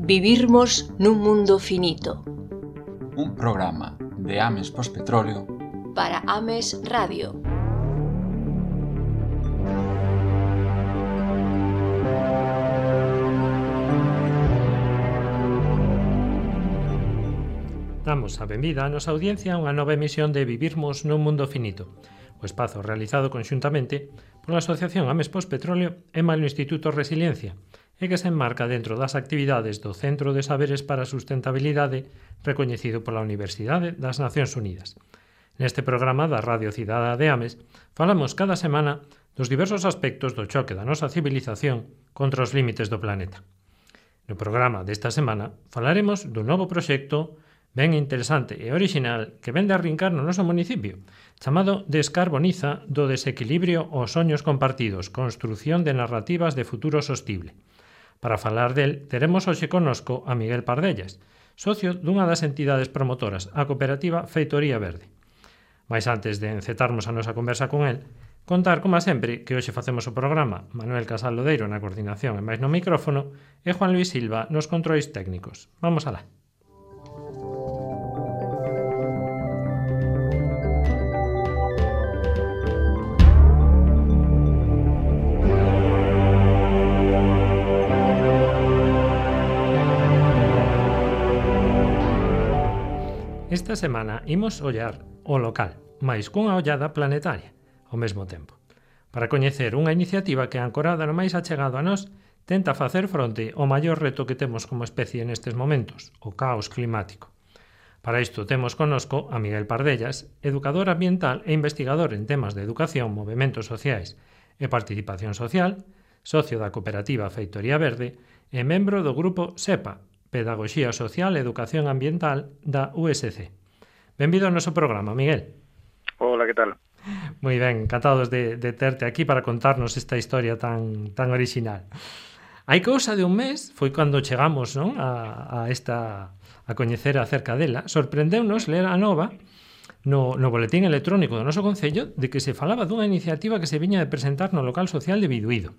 Vivirmos nun mundo finito. Un programa de Ames Pospetróleo para Ames Radio. Damos a benvida a nosa audiencia a unha nova emisión de Vivirmos nun mundo finito, o espazo realizado conxuntamente pola Asociación Ames Pospetróleo e malo Instituto Resiliencia, e que se enmarca dentro das actividades do Centro de Saberes para a Sustentabilidade recoñecido pola Universidade das Nacións Unidas. Neste programa da Radio Cidadá de Ames falamos cada semana dos diversos aspectos do choque da nosa civilización contra os límites do planeta. No programa desta semana falaremos dun novo proxecto ben interesante e orixinal que vende a arrincar no noso municipio, chamado Descarboniza do desequilibrio aos soños compartidos, construción de narrativas de futuro sostible. Para falar del, teremos hoxe connosco a Miguel Pardellas, socio dunha das entidades promotoras, a cooperativa Feitoría Verde. Mais antes de encetarmos a nosa conversa con el, contar, como sempre, que hoxe facemos o programa Manuel Casal Lodeiro na coordinación e máis no micrófono e Juan Luis Silva nos controis técnicos. Vamos alá. Esta semana imos ollar o local, mais cunha ollada planetaria, ao mesmo tempo, para coñecer unha iniciativa que, ancorada no máis achegado a nós, tenta facer fronte ao maior reto que temos como especie nestes momentos, o caos climático. Para isto temos connosco a Miguel Pardellas, educador ambiental e investigador en temas de educación, movementos sociais e participación social, socio da cooperativa Feitoría Verde e membro do grupo SEPA, Pedagogía Social e Educación Ambiental da USC. Benvido ao noso programa, Miguel. Hola, que tal? Moi ben, encantados de terte aquí para contarnos esta historia tan orixinal. Hai cousa de un mes, foi cando chegamos, non, a coñecer acerca dela, sorprendeunos ler a nova no boletín electrónico do noso concello de que se falaba dunha iniciativa que se viña de presentar no local social de Biduído,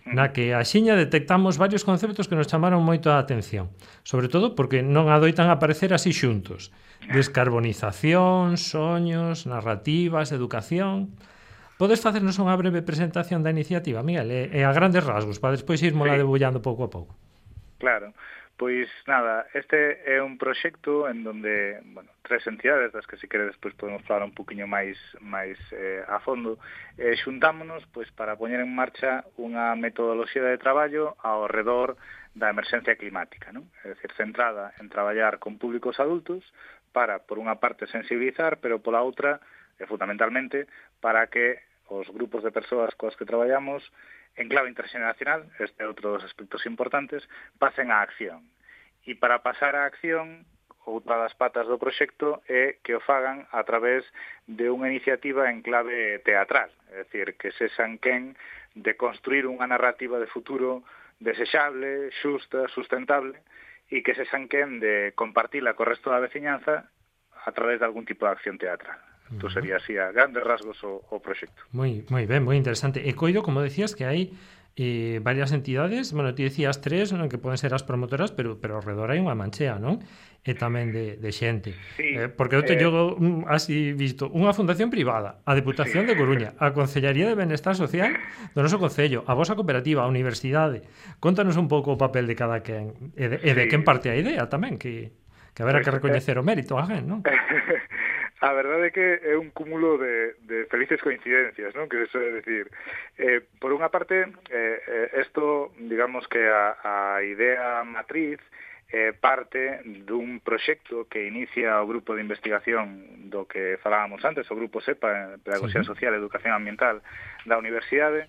na que axiña detectamos varios conceptos que nos chamaron moito a atención, sobre todo porque non adoitan aparecer así xuntos. Descarbonización, soños, narrativas, educación. Podes facernos unha breve presentación da iniciativa, Miguel, e a grandes rasgos, para despois irmola debullando pouco a pouco? Claro. Pois nada, este é un proxecto en donde, tres entidades das que se quere despois podemos falar un poquinho máis a fondo, xuntámonos pois para poñer en marcha unha metodoloxía de traballo ao redor da emerxencia climática, non? É dicir, centrada en traballar con públicos adultos para, por unha parte, sensibilizar, pero pola outra, fundamentalmente, para que os grupos de persoas coas que traballamos en clave interxeneracional, este é outro dos aspectos importantes, pasen á acción. E para pasar á acción, outra das patas do proxecto é que o fagan a través de unha iniciativa en clave teatral, é dicir, que sexan quen de construir unha narrativa de futuro desexable, xusta, sustentable, e que sexan quen de compartila co resto da veciñanza a través de algún tipo de acción teatral. Isto sería así a grandes rasgos o proxecto. Moi ben, moi interesante. E coido, como decías, que hai varias entidades, ti decías tres, non, que poden ser as promotoras, pero ao redor hai unha manchea, non? E tamén de xente. Sí, porque eu te llego así visto unha fundación privada, a Deputación de Coruña, a Concellaría de Benestar Social do noso concello, a vosa cooperativa, a universidade. Contanos un pouco o papel de cada quen e de quen parte a idea tamén, que haberá que recoñecer o mérito a alguén, non? A verdade é que é un cúmulo de felices coincidencias, non? Que se suele decir. Por unha parte, isto, digamos que a idea matriz parte dun proxecto que inicia o grupo de investigación do que falábamos antes, o grupo SEPA, Pedagogía Social e Educación Ambiental da Universidade.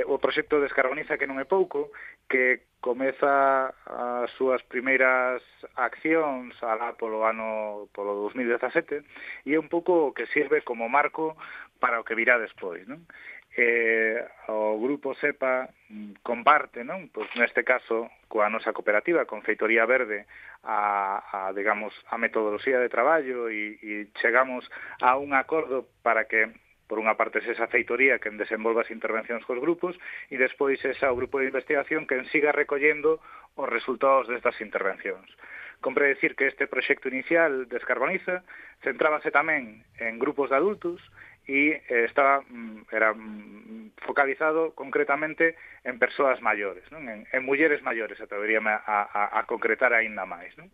O proxecto Descarboniza, que non é pouco, que comeza as súas primeiras accións alá polo 2017 e é un pouco o que sirve como marco para o que virá despois, non? O grupo SEPA comparte, non? Pois neste caso coa nosa cooperativa, con Feitoría Verde, a metodoloxía de traballo e chegamos a un acordo para que por unha parte esa feitoría que desenvolva as intervencións cos grupos e despois o grupo de investigación que siga recollendo os resultados destas intervencións. Compre decir que este proxecto inicial Descarboniza centrábase tamén en grupos de adultos e era focalizado concretamente en persoas maiores, non? En mulleres maiores, atreveríame a concretar aínda máis, non?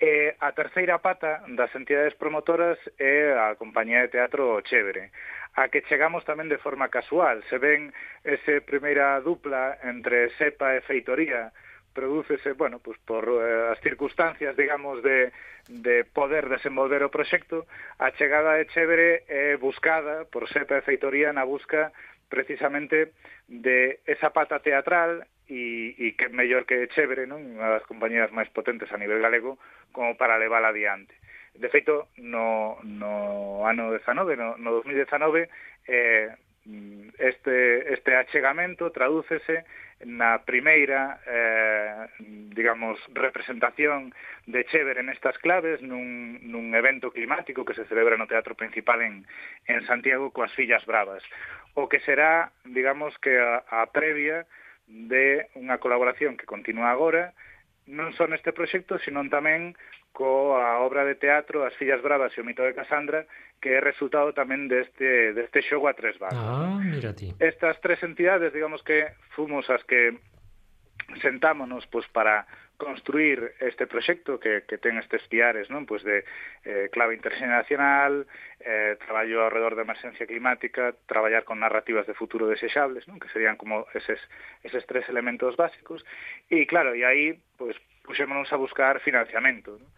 A terceira pata das entidades promotoras é a compañía de teatro Chévere, a que chegamos tamén de forma casual. Se ven esa primeira dupla entre Sepa e Feitoría, prodúcese, bueno, pues por as circunstancias, digamos, de poder desenvolver o proxecto. A chegada de Chévere é buscada por Sepa e Feitoría na busca precisamente de esa pata teatral e que mellor que Chévere, non? Unha das compañías máis potentes a nivel galego, como para levala adiante. De feito, no ano 19, no 2019, este achegamento tradúcese na primeira, digamos, representación de Chévere nestas claves nun evento climático que se celebra no Teatro Principal en Santiago coas Fillas Bravas, o que será, digamos, que a previa de unha colaboración que continúa agora, non só neste proxecto, senón tamén coa obra de teatro As Fillas Bravas e o mito de Casandra, que é resultado tamén deste xogo a tres bandas. Mira ti. Estas tres entidades, digamos que fomos as que sentámonos pues, para construir este proxecto que ten estes piares, non? Pues de clave interxeneracional, traballo ao redor da emerxencia climática, traballar con narrativas de futuro desexables, non? Que serían como eses tres elementos básicos. E claro, e aí pues, puxémonos a buscar financiamento, non?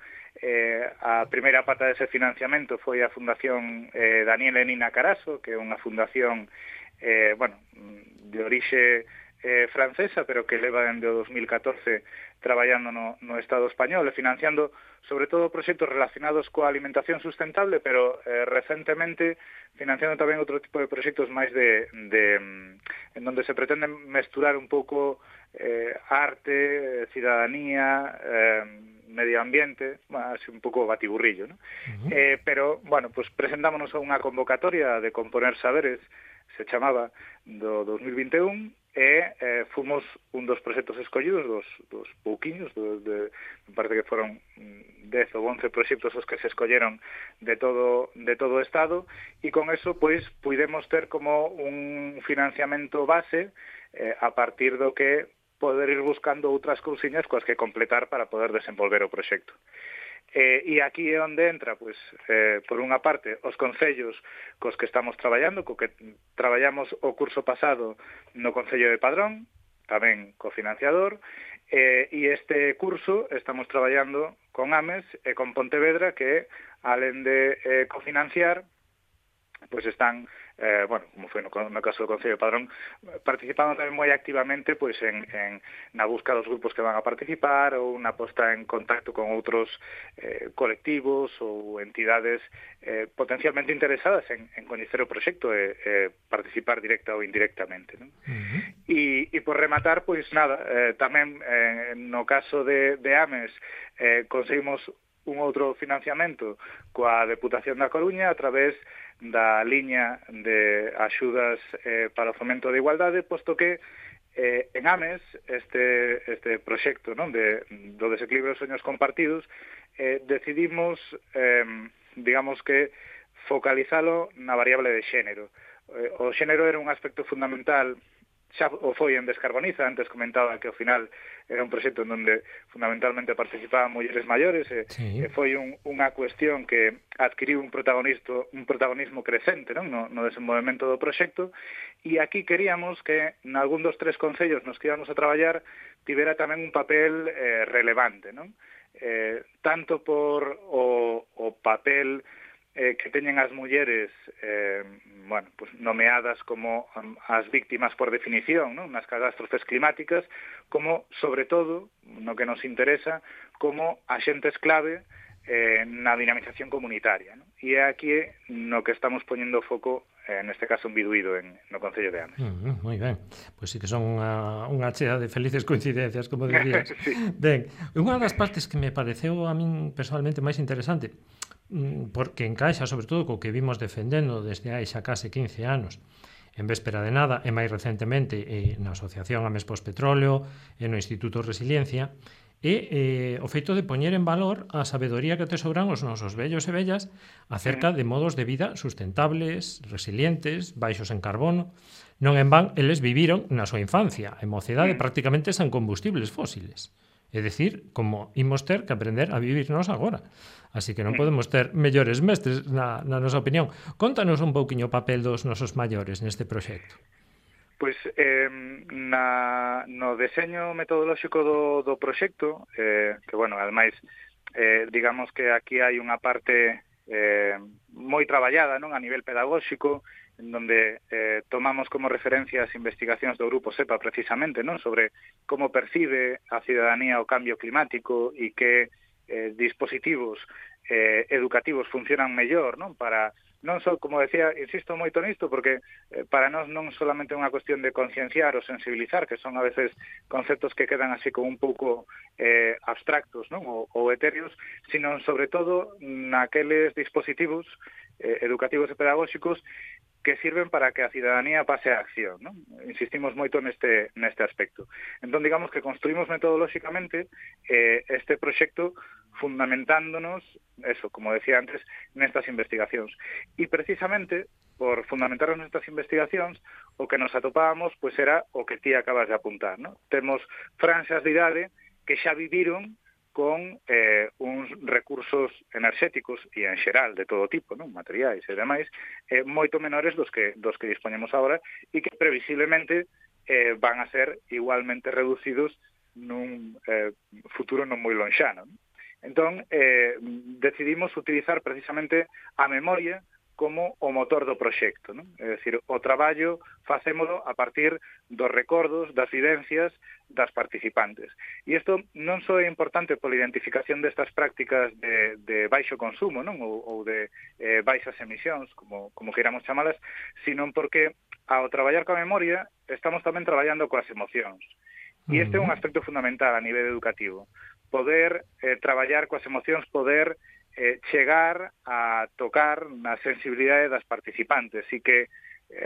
A primeira pata dese financiamento foi a Fundación Daniel e Nina Caraso, que é unha fundación de orixe francesa, pero que leva dende o 2014 traballando no Estado español e financiando sobre todo proxectos relacionados coa alimentación sustentable, pero recentemente financiando tamén outro tipo de proxectos máis en donde se pretende mesturar un pouco arte, cidadanía, medio ambiente, así un pouco batiburrillo, ¿no? Pero, bueno, pues presentámonos a unha convocatoria de Componer Saberes, se chamaba, do 2021, e fomos un dos proxectos escollidos, dos pouquiños, me parece que foron 10 ou 11 proxectos os que se escolleron de todo o Estado, e con eso, pois, pudemos ter como un financiamento base a partir do que poder ir buscando outras cousiñas coas que completar para poder desenvolver o proxecto. E aquí é onde entra, pois, por unha parte, os concellos cos que estamos traballando, co que traballamos o curso pasado no Concello de Padrón, tamén cofinanciador, e este curso estamos traballando con Ames e con Pontevedra, que, alén de cofinanciar, pois están, como foi no caso do Concello de Padrón, participando tamén moi activamente pois na busca dos grupos que van a participar ou na posta en contacto con outros colectivos ou entidades potencialmente interesadas en coñecer o proxecto e participar directa ou indirectamente, non? E por rematar, pois nada, tamén no caso de Ames conseguimos un outro financiamento coa Deputación da Coruña a través da liña de axudas para o fomento da igualdade, posto que en Ames este proxecto, non, do desequilibrio dos soños compartidos, decidimos, digamos que, focalizalo na variable de xénero. O xénero era un aspecto fundamental, xa o foi en Descarboniza, antes comentaba que ao final era un proxecto en onde fundamentalmente participaban mulleres maiores e foi unha cuestión que adquiriu un protagonismo crecente, non, no desenvolvemento do proxecto, e aquí queríamos que nalgún dos tres concellos nos que íbamos a traballar tivera tamén un papel relevante, non? Tanto por o papel que teñen as mulleres pues nomeadas como as víctimas por definición, non, nas catástrofes climáticas, como, sobre todo, no que nos interesa, como axentes clave na dinamización comunitaria, non? E é aquí no que estamos poñendo foco, neste caso en Biduído, no Concello de Ames. Moi ben, pois sí que son unha chea de felices coincidencias, como dirías. Sí. Ben, unha das partes que me pareceu a min personalmente máis interesante, porque encaixa sobre todo co que vimos defendendo desde hai xa case 15 anos en Véspera de Nada e máis recentemente na Asociación Ames Pospetróleo e no Instituto Resiliencia, e o feito de poñer en valor a sabedoría que tesouran os nosos vellos e vellas acerca de modos de vida sustentables, resilientes, baixos en carbono. Non en van, eles viviron na súa infancia e mocedade prácticamente sen combustibles fósiles. É dicir, como imos ter que aprender a vivirnos agora. Así que non podemos ter mellores mestres na nosa opinión. Contanos un pouquiño o papel dos nosos maiores neste proxecto. Pois no deseño metodolóxico do proxecto, que, bueno, ademais, digamos que aquí hai unha parte moi traballada, non, a nivel pedagóxico, en donde tomamos como referencia as investigacións do Grupo SEPA precisamente, non, sobre como percibe a cidadanía o cambio climático e que dispositivos educativos funcionan mellor, non, para non só, como decía, insisto moito nisto, porque para nós non solamente é unha cuestión de concienciar ou sensibilizar, que son a veces conceptos que quedan así como un pouco abstractos, non, ou etéreos, sino sobre todo naqueles dispositivos educativos e pedagóxicos que sirven para que a cidadanía pase a acción, non? Insistimos moito neste aspecto. Entón, digamos que construímos metodolóxicamente este proxecto fundamentándonos, eso, como decía antes, nestas investigacións. E precisamente, por fundamentarnos nestas investigacións, o que nos atopábamos, pois era o que ti acabas de apuntar, non? Temos franxas de idade que xa viviron con uns recursos enerxéticos e en xeral de todo tipo, non, materiais e demais, moito menores dos que dispoñemos agora e que previsiblemente van a ser igualmente reducidos nun futuro non moi lonxano. Entón, decidimos utilizar precisamente a memoria como o motor do proxecto, non? É dicir, o traballo facémolo a partir dos recordos, das vivencias das participantes. E isto non só é importante pola identificación destas prácticas de baixo consumo, non? Ou de baixas emisións, como queiramos chamalas, sino porque ao traballar coa memoria estamos tamén traballando coas emocións. E este é un aspecto fundamental a nivel educativo. Poder traballar coas emocións, poder chegar a tocar na sensibilidade das participantes e que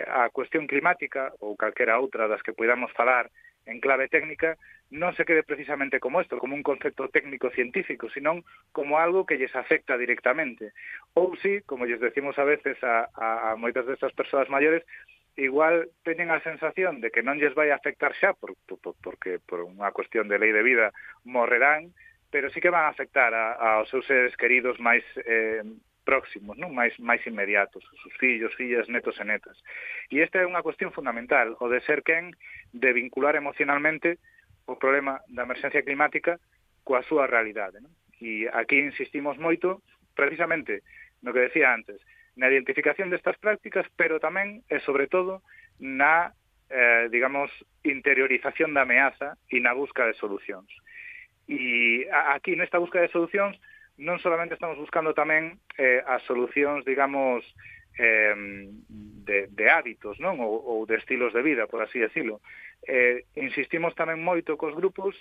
a cuestión climática ou calquera outra das que podamos falar en clave técnica non se quede precisamente como isto, como un concepto técnico-científico, senón como algo que lles afecta directamente. Ou si, como lles decimos a veces a moitas destas persoas maiores, igual teñen a sensación de que non lles vai afectar xa porque por unha cuestión de lei de vida morrerán, pero sí que van a afectar aos seus seres queridos máis próximos, non, máis inmediatos, os seus fillos, fillas, netos e netas. E esta é unha cuestión fundamental, o de ser quen de vincular emocionalmente o problema da emerxencia climática coa súa realidade, non? E aquí insistimos moito, precisamente, no que decía antes, na identificación destas prácticas, pero tamén e sobre todo na, digamos, interiorización da ameaza e na busca de solucións. E aquí, nesta busca de solucións, non solamente estamos buscando tamén as solucións, digamos, de hábitos, non? Ou de estilos de vida, por así decirlo. Insistimos tamén moito cos grupos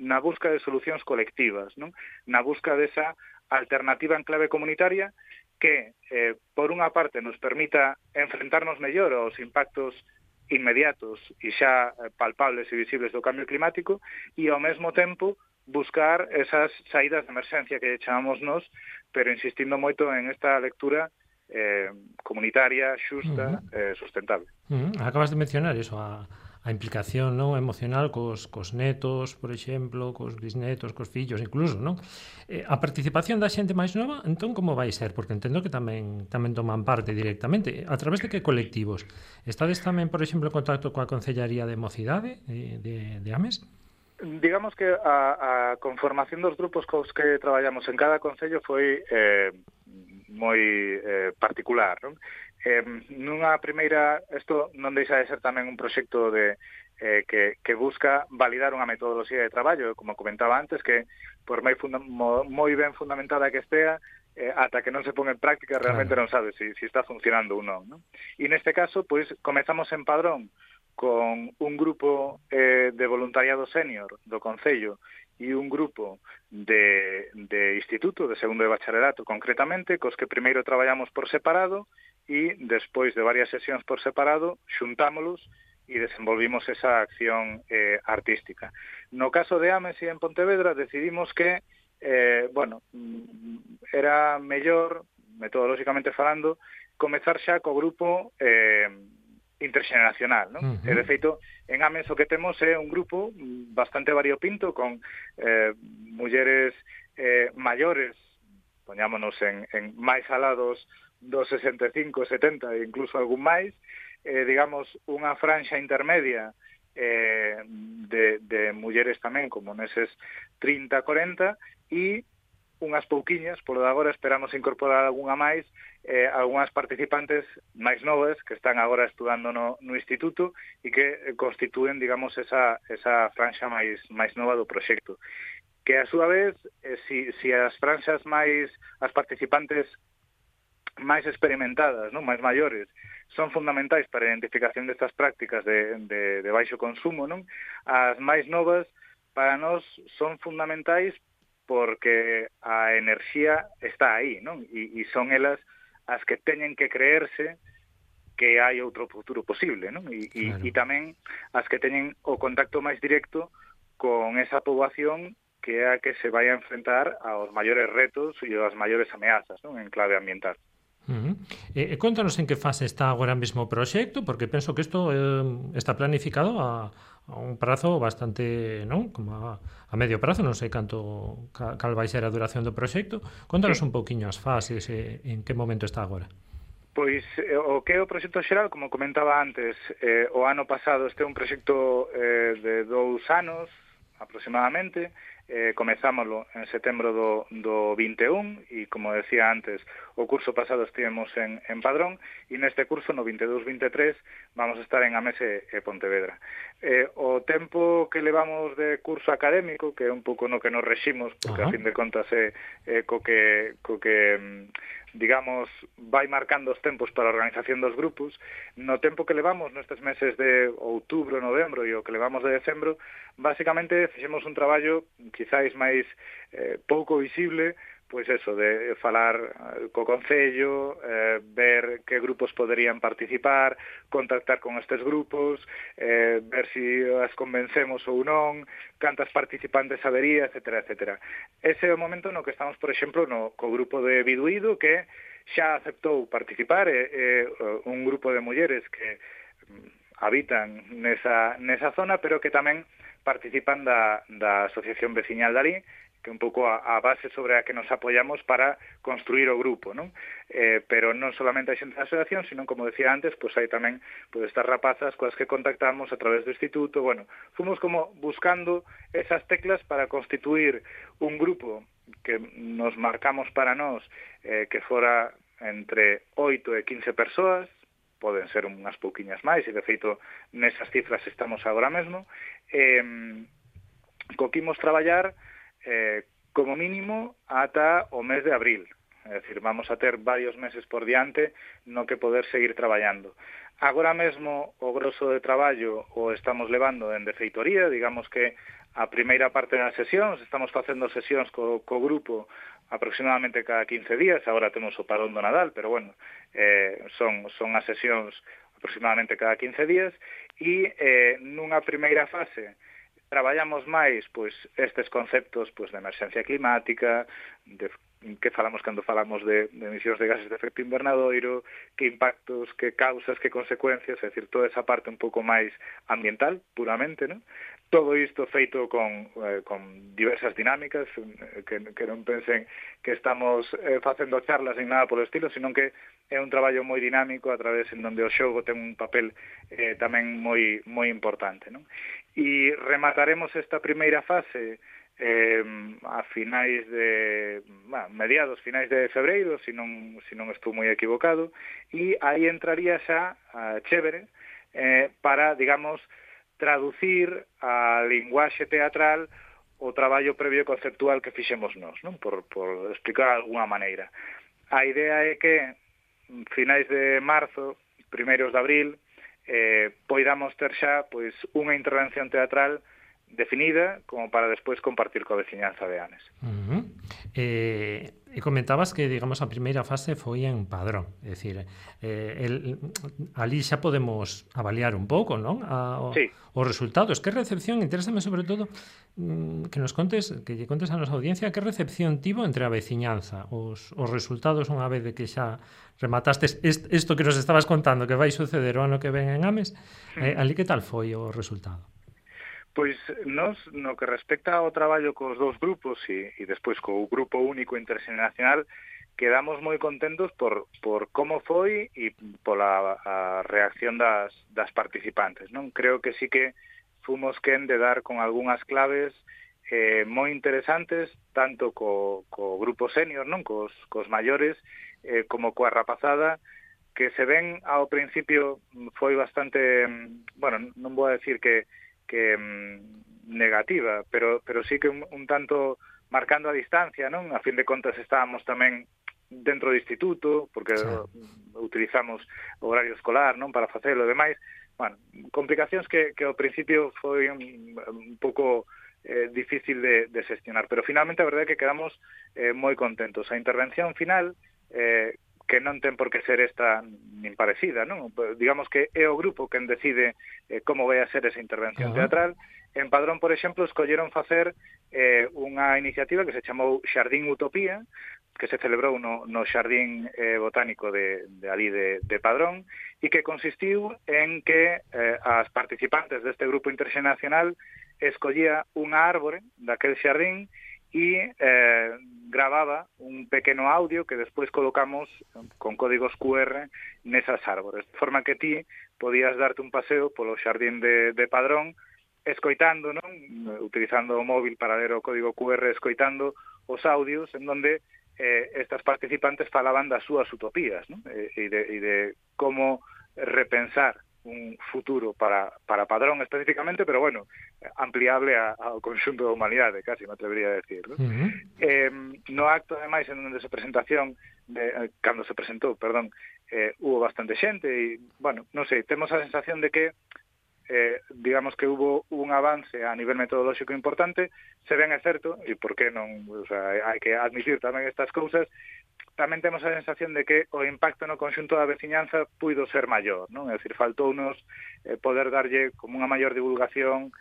na busca de solucións colectivas, non? Na busca desa alternativa en clave comunitaria que, por unha parte, nos permita enfrentarnos mellor aos impactos inmediatos e xa palpables e visibles do cambio climático e, ao mesmo tempo, buscar esas saídas de emerxencia que chamamos nós, pero insistindo moito en esta lectura comunitaria, xusta, sustentable. Acabas de mencionar eso, a implicación, non, emocional cos netos, por exemplo, cos bisnetos, cos fillos, incluso, non? A participación da xente máis nova, entón, como vai ser? Porque entendo que tamén toman parte directamente. A través de que colectivos? Estades tamén, por exemplo, en contacto coa Concellaría de Mocidade de Ames? Digamos que a conformación dos grupos cos que traballamos en cada concello foi moi particular, non? Nunha primeira, isto non deixa de ser tamén un proxecto que busca validar unha metodoloxía de traballo, como comentaba antes, que por moi ben fundamentada que estea, ata que non se pon en práctica realmente non sabe se está funcionando ou non, non? E neste caso, pois, comezamos en Padrón con un grupo de voluntariado senior do Concello e un grupo de instituto, de segundo de bacharelato concretamente, cos que primeiro traballamos por separado e despois de varias sesións por separado xuntámolos e desenvolvimos esa acción artística. No caso de Ames e en Pontevedra decidimos que era mellor, metodolóxicamente falando, comezar xa co grupo interxeneracional, non? E, de feito, en Ames o que temos é un grupo bastante variopinto con mulleres maiores, poñámonos en máis alados dos 65, 70 e incluso algún máis, digamos, unha franxa intermedia de mulleres tamén como neses 30, 40 e unhas pouquiñas, polo de agora esperamos incorporar algunha máis, algunhas participantes máis novas que están agora estudando no instituto e que constitúen, digamos, esa franxa máis nova do proxecto. Que, a súa vez, si as franxas as participantes máis experimentadas, non, máis maiores, son fundamentais para a identificación destas prácticas de baixo consumo, non? As máis novas, para nós, son fundamentais porque a enerxía está aí, non? E son elas as que teñen que creerse que hai outro futuro posible, non? E tamén as que teñen o contacto máis directo con esa poboación que é a que se vai a enfrentar aos maiores retos e as maiores ameazas, non? En clave ambiental. Contanos en que fase está agora mesmo o proxecto, porque penso que isto está planificado a un prazo bastante, non? Como a medio prazo, non sei cal vai ser a duración do proxecto. Contanos un pouquiño as fases e en que momento está agora. Pois o que é o proxecto xeral, como comentaba antes, o ano pasado este é un proxecto de 2 anos aproximadamente. Comezámoslo en setembro do 21 e, como decía antes, o curso pasado estivemos en Padrón e neste curso, no 22-23, vamos a estar en Ames e Pontevedra. O tempo que levamos de curso académico, que é un pouco no que nos reximos, porque a fin de contas é co que digamos, vai marcando os tempos para a organización dos grupos. No tempo que levamos nestes meses de outubro, novembro e o que levamos de decembro, basicamente fixemos un traballo quizáis máis pouco visible, pois eso, de falar co Concello, ver que grupos poderían participar, contactar con estes grupos, ver si as convencemos ou non, cantas participantes habería, etcétera, etcétera. Ese é o momento no que estamos, por exemplo, co grupo de Biduído, que xa aceptou participar, un grupo de mulleres que habitan nesa zona, pero que tamén participan da Asociación Veciñal de Alí, que é un pouco a base sobre a que nos apoyamos para construir o grupo, non? Pero non solamente hai xente da asociación, sino, como decía antes, pois hai tamén estas rapazas coas que contactamos a través do instituto. Bueno, fomos como buscando esas teclas para constituir un grupo que nos marcamos para nós que fora entre 8 e 15 persoas, poden ser unhas pouquiñas máis, e de feito nesas cifras estamos agora mesmo, co que imos traballar como mínimo ata o mes de abril. É dicir, vamos a ter varios meses por diante no que poder seguir traballando. Agora mesmo o grosso de traballo o estamos levando en feitoría, digamos que a primeira parte das sesións, estamos facendo sesións co grupo aproximadamente cada 15 días, agora temos o parón do Nadal, pero bueno, son as sesións aproximadamente cada 15 días, e nunha primeira fase traballamos máis pois estes conceptos pois de emerxencia climática, de que falamos cando falamos de emisións de gases de efecto invernadoiro, que impactos, que causas, que consecuencias, é dicir, toda esa parte un pouco máis ambiental, puramente, non? Todo isto feito con diversas dinámicas, que non pensen que estamos facendo charlas ni nada polo estilo, sino que é un traballo moi dinámico a través en donde o xogo ten un papel tamén moi importante, non? E remataremos esta primeira fase a finais de finais de febreiro, se non estou moi equivocado, e aí entraría xa a Chévere para, digamos, traducir a linguaxe teatral o traballo previo conceptual que fixemos nós, non? Por explicar de alguna maneira. A idea é que finais de marzo, primeiros de abril, poidamos ter xa pois unha intervención teatral definida como para despois compartir coa veciñanza de Ames. E comentabas que, digamos, a primeira fase foi en Padrón, é dicir, ali xa podemos avaliar un pouco, non? Sí. Os resultados. Que recepción, interésame sobre todo que nos contes, que lle contes a nosa audiencia que recepción tivo entre a veciñanza, os resultados unha vez de que xa rematastes isto que nos estabas contando que vai suceder o ano que ven en Ames, ali que tal foi o resultado? Pois nos, no que respecta ao traballo cos dous grupos e despois co grupo único interxeneracional, quedamos moi contentos por como foi e pola a reacción das participantes, non? Creo que sí que fomos quen de dar con algunhas claves moi interesantes, tanto co grupo senior, non? Cos maiores, como coa rapazada, que se ven ao principio foi bastante, bueno, non vou a decir que negativa, pero sí que un tanto marcando a distancia, non? A fin de contas estábamos tamén dentro do instituto, porque utilizamos o horario escolar, non? Para facelo e demais. Bueno, complicacións que ao principio foi un pouco difícil de xestionar, pero finalmente a verdade é que quedamos moi contentos. A intervención final, que non ten por que ser esta nin parecida, non? Digamos que é o grupo quen decide como vai a ser esa intervención teatral. En Padrón, por exemplo, escolleron facer unha iniciativa que se chamou Xardín Utopía, que se celebrou no Xardín Botánico de ali de Padrón, e que consistiu en que as participantes deste grupo interxeneracional escollía unha árbore daquel xardín e grababa un pequeno audio que despois colocamos con códigos QR nesas árbores, de forma que ti podías darte un paseo polo xardín de Padrón escoitando, non? Utilizando o móvil para ler o código QR, escoitando os audios en donde estas participantes falaban das súas utopías, non? E de como repensar un futuro para Padrón especificamente, pero bueno, ampliable ao conxunto da humanidade, casi me atrevería a decir, ¿no? No acto, ademais, en onde cando se presentou, hubo bastante xente e, bueno, non sei, temos a sensación de que digamos que hubo un avance a nivel metodolóxico importante, se ben é certo, e por que non, o sea, hai que admitir tamén estas cousas, tamén temos a sensación de que o impacto no conxunto da veciñanza puido ser maior, non? É dicir, faltounos poder darlle como unha maior divulgación,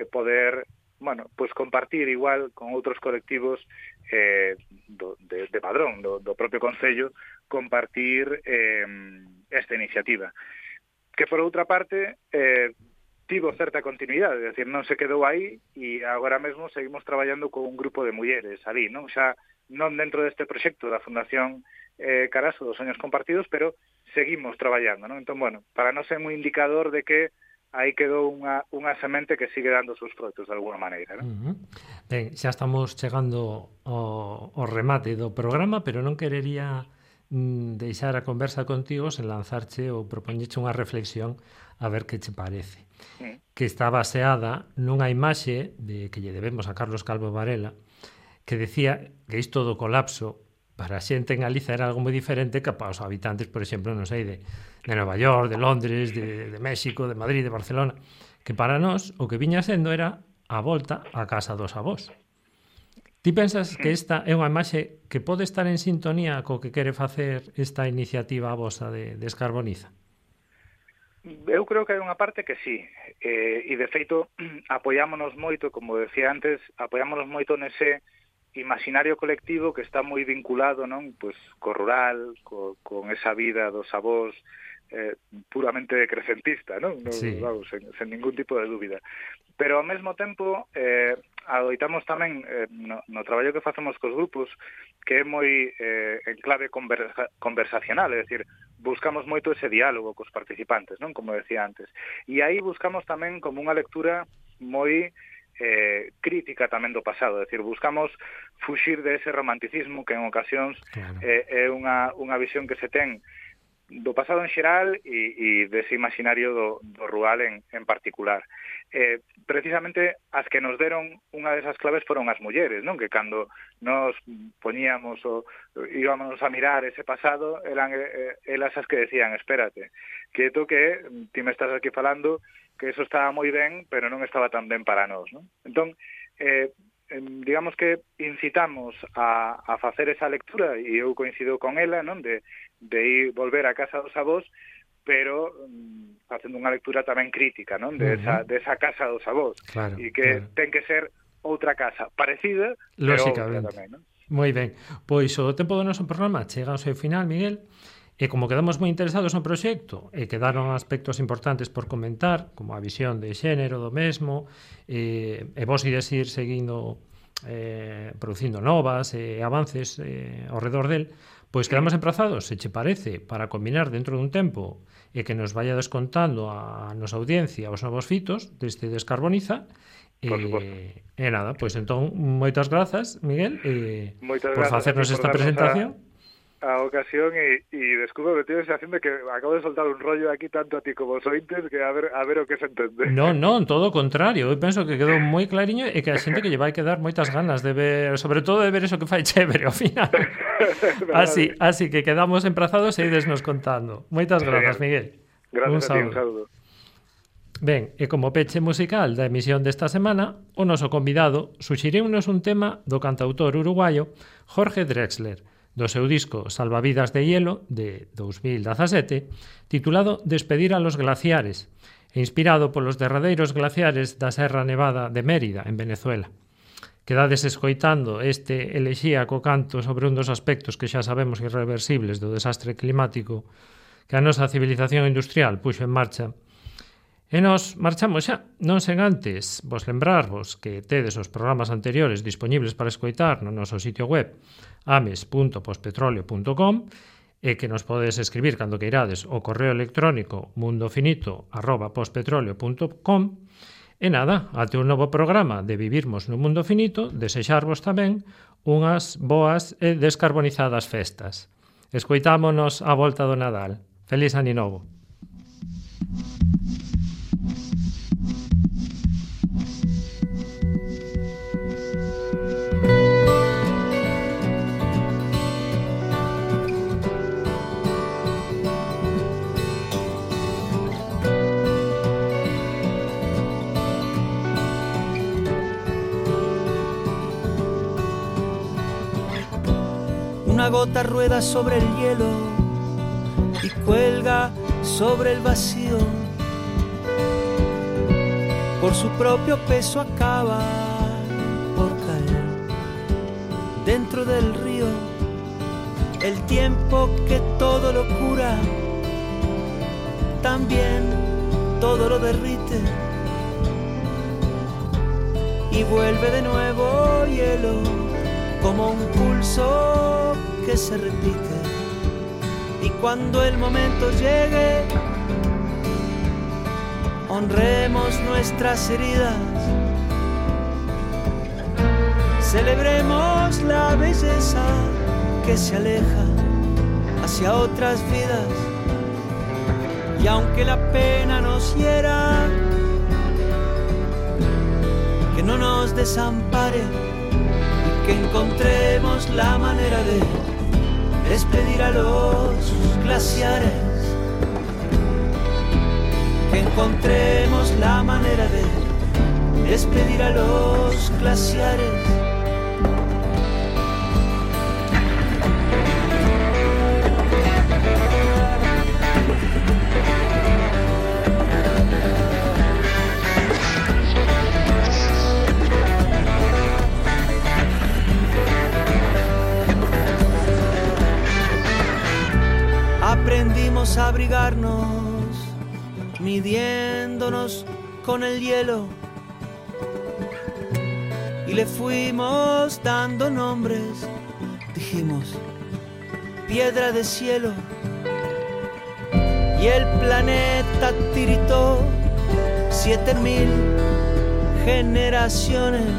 poder, bueno, pues compartir igual con outros colectivos de Padrón, do propio Concello, compartir esta iniciativa. Que, por outra parte, tivo certa continuidade, é dicir, non se quedou aí e agora mesmo seguimos traballando con un grupo de mulleres ali, non? Xa non dentro deste proxecto da Fundación Caraso dos Soños Compartidos, pero seguimos traballando, non? Entón, bueno, para non ser un indicador de que aí quedou unha semente que sigue dando os seus froitos de alguna maneira, non? Ben, xa estamos chegando ao remate do programa, pero non querería deixar a conversa contigo sen lanzarche ou propoñeche unha reflexión a ver que che parece. Que está baseada nunha imaxe que lle debemos a Carlos Calvo Varela, que decía que isto do colapso para a xente en Galiza era algo moi diferente que para os habitantes, por exemplo, non sei, de Nova York, de Londres, de México, de Madrid, de Barcelona, que para nós o que viña sendo era a volta á casa dos avós. Ti pensas que esta é unha imaxe que pode estar en sintonía co que quere facer esta iniciativa vosa de Descarboniza? Eu creo que hai unha parte que sí, e de feito apoiámonos moito, como decía antes, apoiámonos moito nese imaginario colectivo que está moi vinculado, non, pois co rural, con esa vida dos avós puramente decrecentista, non? Sí. Vamos, sen ningún tipo de dúbida. Pero ao mesmo tempo adoitamos tamén no traballo que facemos cos grupos, que é moi en clave conversacional, é dicir, buscamos moito ese diálogo cos participantes, non? Como decía antes. E aí buscamos tamén como unha lectura moi crítica tamén do pasado, é dicir, buscamos fuxir de ese romanticismo que en ocasións é unha visión que se ten do pasado en xeral e dese imaginario do rural en particular. Precisamente as que nos deron unha desas claves foron as mulleres, non? Que cando nos poñíamos íbamos a mirar ese pasado, eran elas as que decían, espérate, que ti me estás aquí falando que eso estaba moi ben, pero non estaba tan ben para nós, non? Entón, digamos que incitamos a facer esa lectura, e eu coincido con ela, non? De ir volver a casa dos avós, pero facendo unha lectura tamén crítica, non? De esa casa dos avós, claro, e que ten que ser outra casa parecida, pero outra tamén, non? Moi ben, pois o tempo do noso programa chega ao seu final, Miguel, e como quedamos moi interesados no proxecto e quedaron aspectos importantes por comentar, como a visión de xénero do mesmo, e vos ides ir seguindo producindo novas e avances ao redor del, pois quedamos emprazados, se che parece, para combinar dentro dun tempo e que nos vaya descontando a nosa audiencia os novos fitos deste Descarboniza. E nada, pois entón, moitas grazas, Miguel, por facernos esta presentación. A ocasión e descubro que tienes haciendo que acabo de soltar un rollo aquí tanto a ti como os ointes que a ver o que se entende. Non, todo o contrario. Eu penso que quedou moi clariño e que a xente que lle vai quedar moitas ganas de ver, sobre todo de ver eso que fai chévere ao final. así que quedamos emprazados e idesnos contando. Moitas grazas, Miguel. Gracias a ti, un saúdo. Ben, e como peche musical da emisión desta semana, o noso convidado suxiriunos un tema do cantautor uruguayo Jorge Drexler, do seu disco Salvavidas de Hielo, de 2017, titulado Despedir a los glaciares, e inspirado polos derradeiros glaciares da Serra Nevada de Mérida, en Venezuela. Quedades escoitando este elexíaco canto sobre un dos aspectos que xa sabemos irreversibles do desastre climático que a nosa civilización industrial puxo en marcha. E nos marchamos xa, non sen antes vos lembrarvos que tedes os programas anteriores dispoñibles para escoitar no noso sitio web ames.pospetroleo.com e que nos podes escribir cando queirades o correo electrónico mundofinito@pospetroleo.com. E nada, até un novo programa de Vivirmos no Mundo Finito, desexarvos tamén unhas boas e descarbonizadas festas. Escoitámonos a volta do Nadal. Feliz Ano Novo. Una gota rueda sobre el hielo y cuelga sobre el vacío. Por su propio peso acaba por caer dentro del río. El tiempo que todo lo cura, también todo lo derrite. Y vuelve de nuevo hielo, como un pulso que se repite. Y cuando el momento llegue, honremos nuestras heridas, celebremos la belleza que se aleja hacia otras vidas. Y aunque la pena nos hiera, que no nos desampare, y que encontremos la manera de despedir a los glaciares, que encontremos la manera de despedir a los glaciares. Aprendimos a abrigarnos, midiéndonos con el hielo, y le fuimos dando nombres. Dijimos, piedra de cielo, y el planeta tiritó 7000 generaciones,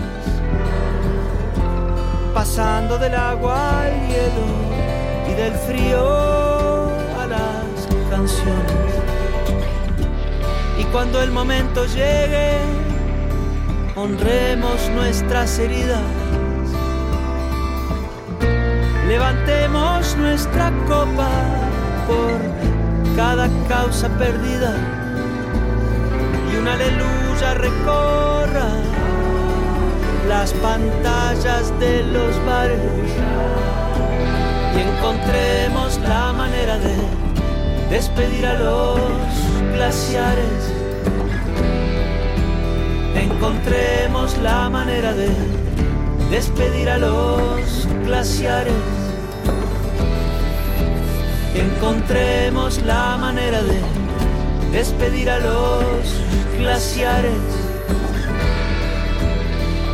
pasando del agua al hielo y del frío a las canciones. Y cuando el momento llegue, honremos nuestras heridas, levantemos nuestra copa por cada causa perdida y una aleluya recorra las pantallas de los bares y encontremos la manera de despedir a los glaciares. Encontremos la manera de despedir a los glaciares. Encontremos la manera de despedir a los glaciares.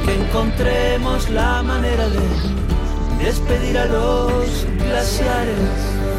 Encontremos la manera de despedir a los glaciares.